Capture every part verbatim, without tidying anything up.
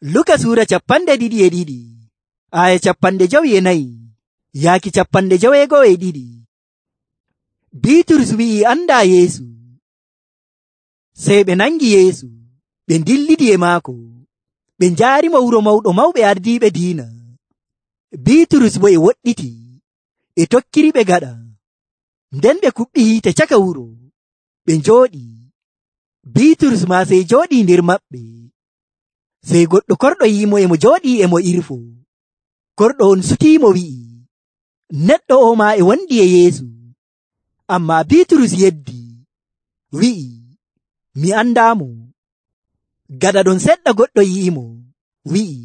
Luka suura capanɗe ɗiɗi e ɗiɗi aya capanɗe jowi e nayi yaaki capanɗe joweego'o e ɗiɗi. Biiturus wi'i anda Yeesu. Sey ɓe nangi Yeesu ɓe dillidi e maako ɓe njaarimo wuro mawɗo mawɓe ardiiɓe diina. Biiturus bo e woɗɗiti e tokkiri ɓe gaɗa. Nden ɓe kuɓɓi hiite caka wuro ɓe njooɗi. Biiturus maa sey jooɗii nder maɓɓe. Sey goɗɗo korɗo yi'imo e mo jooɗii e mo irfo. Korɗo on sutiimo wi'i, neɗɗo o maa e wondi e Yeesu. Ammaa Biiturus yeddi wi'i, mi andaamo. Gaɗa ɗon seɗɗa goɗɗo yi'imo wi'i,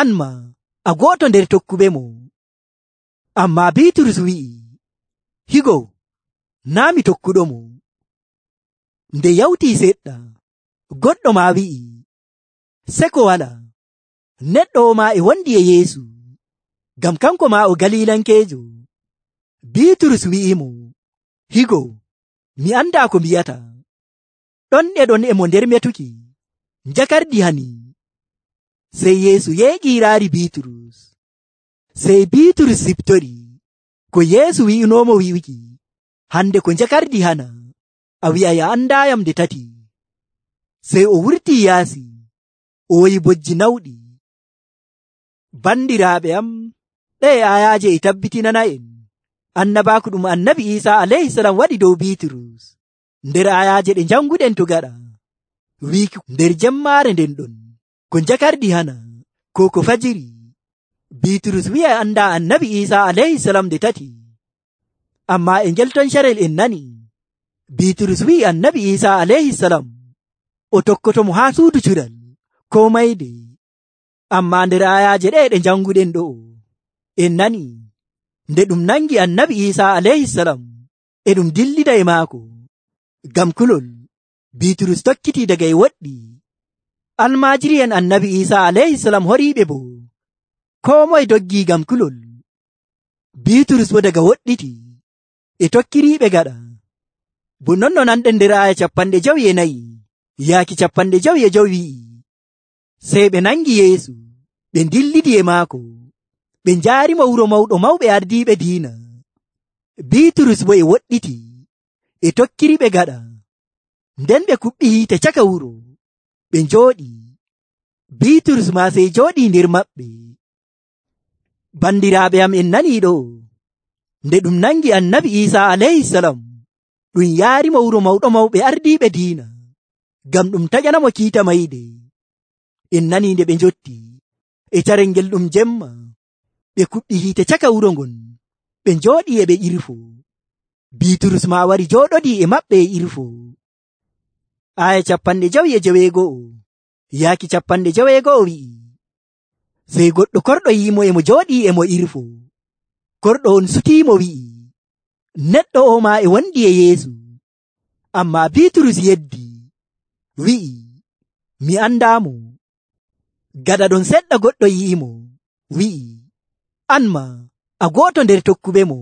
an maa a go'oto nder tokkuɓemo. Ammaa Biiturus wi'i, higo naa' mi tokkuɗomo. Nde yawtii seɗɗa goɗɗo maa wi'i, seko walaa, neɗɗo o maa e wondi e Yeesu, ngam kanko maa o Galiilankeejo. Biiturus wi'imo, higo mi andaa ko mbiyata. Ɗon e ɗon e mo nder metuki, njakardi hani. Sey Yeesu yeeƴii raari Biiturus. Sey Biiturus siftori ko Yeesu wi'inoomo wi'uki, hande ko njakardi hana, a wi'ay a andaayam nde tati. Sey o wurtii yaasi, o woyi bojji nawɗi. Bandiraaɓe am, ɗee ayaaje e tabbitinana en annabaaku ɗum annabi Iisaa alayhisalam waɗi dow Biiturus nder ayaaje ɗe janguɗen to gaɗa. Wiiki nder jemmaare nden ɗon ko njakardi hana ko ko fajiri. Biiturus wi'a anda annabi Iisaa alayhisalam nde tati. Ammaa e ngel ton carel en nani Biiturus wi'i annabi Iisaa alayhisalam o tokkoto mo haa suudu cuɗal ko mayde. Ammaa nder ayaaje ɗe ɗe janguɗen ɗo'o en nani nde ɗum nangi annabi Iisaa alayhisalam e ɗum dillida e maako ngam kulol. Biiturus tokkiti daga e woɗɗi. Almaajiri'en annabi Iisaa alayhisalam horiiɓe bo koo moye doggii ngam kulol. Biiturus bo daga woɗɗiti e tokkiriiɓe gaɗa. Bo non no nanɗen nder aya capanɗe jowi e nayi yaaki capanɗe jowi e jowi wi'i, sey ɓe nangi Yeesu ɓe dillidi e maako ɓe njaarimo wuro mawɗo mawɓe ardiiɓe diina. Biiturus bo e woɗɗiti e tokkiriɓe gaɗa. Nden ɓe kuɓɓi hiite caka wuro ɓe njooɗi. Biiturus maa sey jooɗii nder maɓɓe. Bandiraaɓe am en nanii ɗo nde ɗum nangi annabi Iisaa alayhisalam ɗum yaarimo wuro mawɗo mawɓe ardiiɓe diina ngam ɗum taƴanamo kiita mayde. En nanii nde ɓe njotti e carel ngel ɗum jemma ɓe kuɓɓi hiite caka wuro ngon ɓe njooɗii e ɓe irfo. Biiturus maa wari jooɗodii e maɓɓe e irfo. Aya capanɗe jowi e joweego'o yaaki capanɗe joweego'o wi'i, sey goɗɗo korɗo yi'imo e mo jooɗii e mo irfo. Korɗo on sutiimo wi'i, neɗɗo o maa e wondi e Yeesu. Ammaa Biiturus yeddi wi'i, mi andaamo. Gaɗa ɗon seɗɗa goɗɗo yi'imo wi'i, an maa a go'oto nder tokkuɓemo.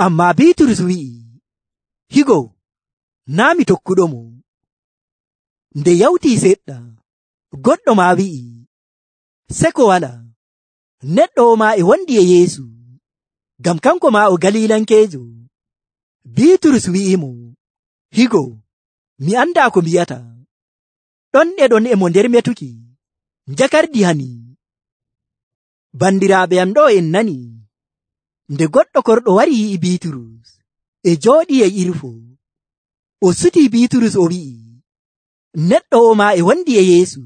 Ammaa Biiturus wi'i, higo naa' mi tokkuɗomo. Nde yawtii seɗɗa goɗɗo maa wi'i, seko walaa, neɗɗo o maa e wondi e Yeesu, ngam kanko maa o Galiilankeejo. Biiturus wi'imo, higo mi andaa ko mbiyata. Ɗon e ɗon e mo nder metuki, njakardi hani. Bandiraaɓe am ɗo en nani nde goɗɗo korɗo wari yi'i Biiturus e jooɗii e irfo. O sutii Biiturus o wi'i, neɗɗo o maa e wondi e Yeesu.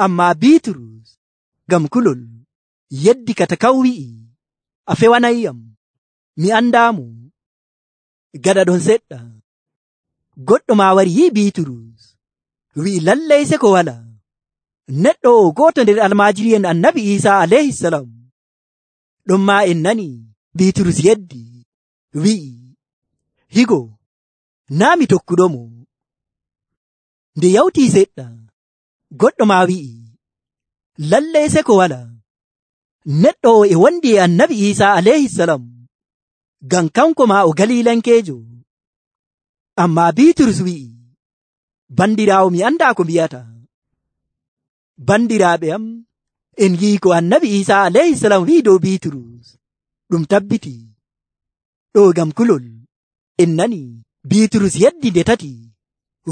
Ammaa Biiturus ngam kulol yeddi kata kaw wi'i, a fewanayyam, mi andaamo. Gaɗa ɗon seɗɗa goɗɗo maa wari yi'i Biiturus wi'i, lallay seko walaa, neɗɗo o gooto nder almaajiri'en annabi Iisaa alayhisalam. Ɗon maa en nani Biiturus yeddi wi'i, higo naa' mi tokkuɗomo. Nde yawtii seɗɗa goɗɗo maa wi'i, lallay seko walaa, neɗɗo o e wondi e annabi Iisaa alayhisalam, ngam kanko maa o Galiilankeejo. Ammaa Biiturus wi'i, bandiraawo mi andaa ko mbiyata. Bandiraaɓe am, en yi'i ko annabi Iisaa alayhisalam wi'i dow Biiturus ɗum tabbiti. Ɗo ngam kulol en nani Biiturus yeddi nde tati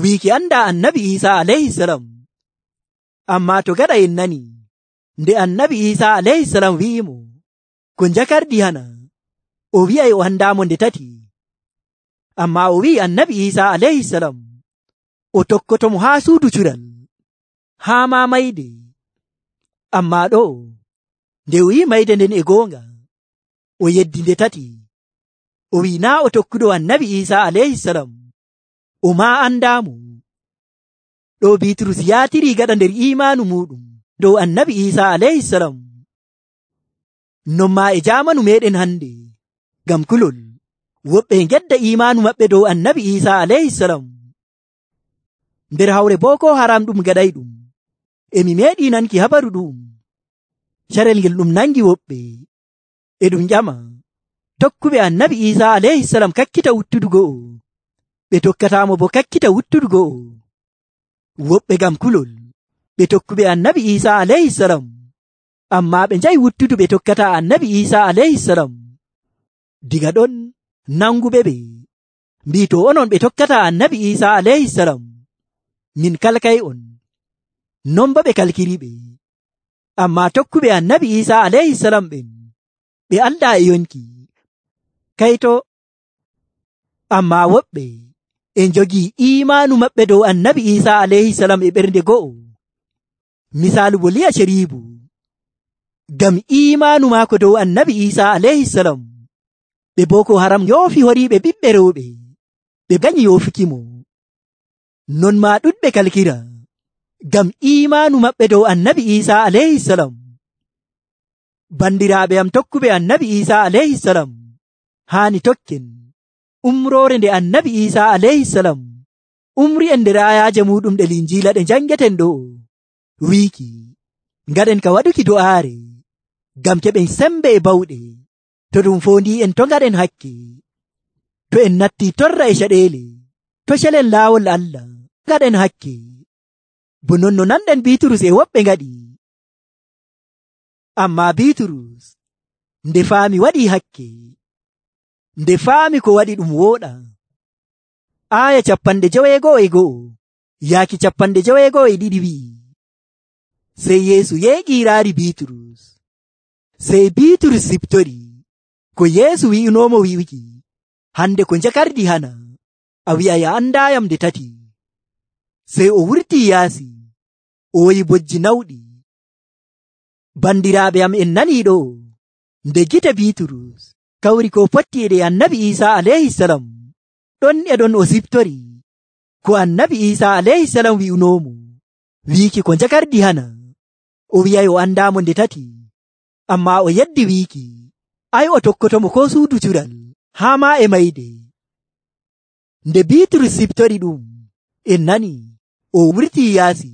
wiiki anda annabi Iisaa alayhisalam. Ammaa to gaɗa en nani nde annabi Iisaa alayhisalam wi'imo ko njakardi hana o wi'ay o andaamo nde tati. Ammaa o wi'i annabi Iisaa alayhisalam o tokkotomo haa suudu cural haa ma mayde. Ammaa ɗo nde o yi'i mayde nden e goonga o yeddi nde tati o wi'i naa o tokkuɗo annabi Iisaa alayhisalam o ma andaamo. Ɗo Biiturus yaatiri gaɗa nder imaanu muɗum dow annabi Iisaa alayhisalam. Non ma e jaamanu meɗen hande ngam kulol woɓɓe gedda imaanu maɓɓe dow annabi Iisaa alayhisalam. Nder hawre Boko Haram ɗum gaɗay ɗum emi meeɗi nanki habaru ɗum. Carel ngel ɗum nangi woɓɓe e ɗum ƴama tokkuɓe annabi Iisaa alayhisalam kakkita wuttudu go'o, ɓe tokkataamo bo kakkita wuttudu go'o. Woɓɓe ngam kulol ɓe tokkuɓe annabi Iisaa alayhisalam, ammaa ɓe njahi wuttudu ɓe tokkata annabi Iisaa alayhisalam. Diga ɗon nanguɓe ɓe mbii to onon ɓe tokkata annabi Iisaa alayhisalam, min kalkay on. Non bo ɓe kalkiri ɓe. Ammaa tokkuɓe annabi Iisaa alayhisalam ɓen ɓe alɗa e yonki. Kayto ammaa woɓɓe en jogii imaanu maɓɓe dow annabi Iisaa alayhisalam e ɓernde go'o. Misaalu bo Liya Sharibu, ngam imaanu maako dow annabi Iisaa alayhisalam ɓe Boko Haram yoofi horiiɓe ɓiɓɓe rewɓe ɓe ganyi yoofukimo. Non ma ɗuɗɓe kalkira ngam imaanu maɓɓe dow annabi Iisaa alayhisalam. Bandiraaɓe am tokkuɓe annabi Iisaa alayhisalam haani tokken umroore nde annabi Iisaa alayhisalam umri en nder ayaaje muɗum ɗe Linjiila ɗe njangeten ɗo wiiki ngaɗen ka waɗuki do'aare ngam keɓen sembe e bawɗe to ɗum foondi en to ngaɗen hakke, to en natti torra e caɗeele, to celen laawol Allah ngaɗen hakke. Bo non no nanɗen Biiturus e woɓɓe ngaɗi. Ammaa Biiturus nde faami waɗi hakke, nde faami ko waɗi ɗum wooɗa. Aaya capanɗe joweego'o e go'o yaaki capanɗe joweego'o e ɗiɗi wi'i, sey Yeesu yeeƴiiraari Biiturus. Sey Biiturus siptori ko Yeesu wi'unoomo wi'uki, hande ko njakardi hana a wi'ay a andaayam nde tati. Sey o wurtii yaasi o woyi bojji nawɗi. Bandiraaɓe am en nanii ɗo nde gite Biiturus kawri ko potti e ɗe annabi Iisaa alayhisalam ɗon e ɗon o siptori ko annabi Iisaa alayhisalam wi'unoomo wiiki ko njakardi hana o wi'ay o andaamo nde tati. Ammaa o yeddi wiiki ay o tokkotomo ko suudu cural haa ma e mayde. Nde Biiturus siptori ɗum en nani o wurtii yaasi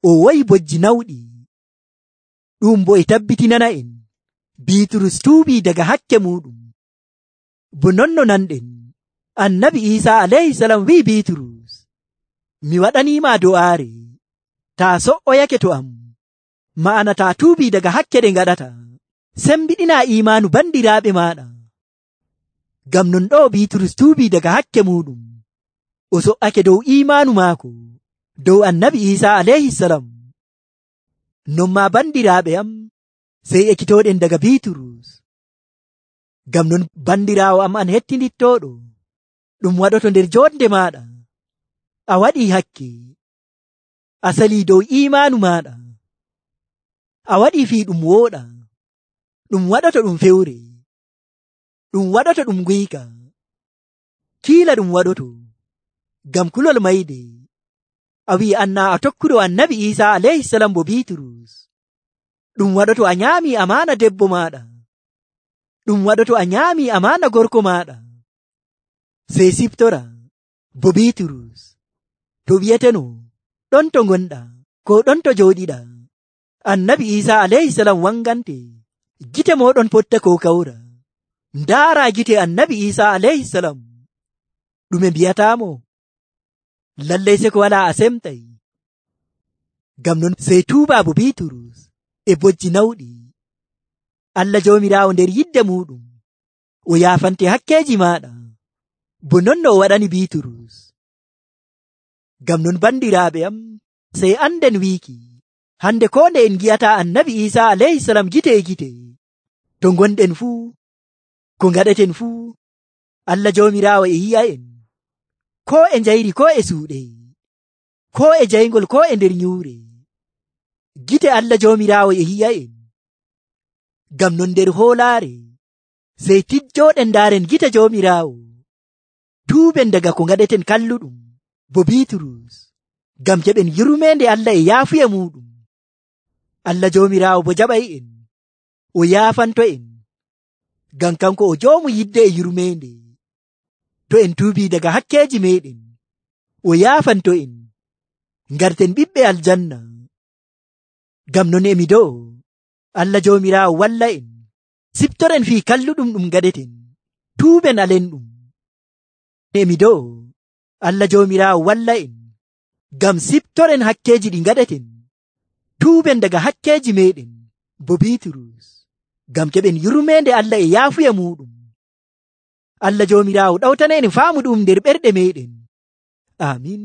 o woyi bojji nawɗi. Ɗum bo e tabbitinana en Biiturus tuubii daga hakke muɗum. Bo non no nanɗen annabi Iisaa alayhisalam wi'i Biiturus, mi waɗaniima do'aare taa so'oyake to am, ma'ana taa tuubii daga hakke ɗe ngaɗata, sembiɗina imaanu bandiraaɓe maaɗa. Ngam non ɗo Biiturus tuubii daga hakke muɗum o so'ake dow imaanu maako dow annabi Iisaa alayhisalam. Non ma bandiraaɓe am sey ekkitooɗen daga Biiturus. Ngam non bandiraawo am an hettinittooɗo, ɗum waɗoto nder joonde maaɗa a waɗii hakke, a salii dow imaanu maaɗa, a waɗii fii ɗum wooɗa, ɗum waɗoto ɗum fewre, ɗum waɗoto ɗum guyka, kiila ɗum waɗoto ngam kulol mayde a wi'i anna a tokkuɗo annabi Iisaa alayhisalam bo Biiturus. Ɗum waɗoto a nyaamii amaana debbo maaɗa, ɗum waɗoto a nyaamii amaana gorko maaɗa. Sey siptora bo Biiturus to wi'eteno ɗon to ngonɗa ko ɗon to jooɗiɗa annabi Iisaa alayhisalam wangante, gite moɗon potta ko kawra, ndaara gite annabi Iisaa alayhisalam. ɗume mbiyataamo? Lallay se ko walaa a semtay. Ngam non sey tuubaabu Biiturus e bojji nawɗi. Allah Joomiraawo nder yidde muɗum o yaafante hakkeeji maaɗa bo non no o waɗani Biiturus. Ngam non bandiraaɓe am, sey anden wiiki hande ko nde en gi'ataa annabi Iisaa alayhisalam gite e gite, to gonɗen fuu, ko ngaɗeten fuu, Allah Joomiraawo e yi'a'en, ko e njayri ko e suuɗe, ko e jayngol ko e nder nyuure. Gite Allah Joomiraawo e yi'a'en. Ngam non nder hoolaare sey tijjooɗen ndaaren gite Joomiraawo, tuuben daga ko ngaɗeten kalluɗum bo Biiturus, ngam keɓen yurmeende Allah e yaafuya muɗum. Allah Joomiraawo bo jaɓay'en, o yaafanto'en, ngam kanko o joomu yidde e yurmeende. To en tuubii daga hakkeeji meeɗen, o yaafanto'en, ngarten ɓiɓɓe aljanna. Ngam non emi do'o Allah Joomiraawo walla en, siftoren fii kalluɗum ɗum ngaɗeten, tuuben alenɗum. Emi do'o Allah Joomiraawo walla en, ngam siftoren hakkeeji ɗi ngaɗeten, tuuben daga hakkeeji meeɗen bo Biiturus, ngam keɓen yurmeende Allah e yaafuya muɗum. Allah Joomiraawo ɗawtana en faamu ɗum nder ɓerɗe meeɗen. Amin.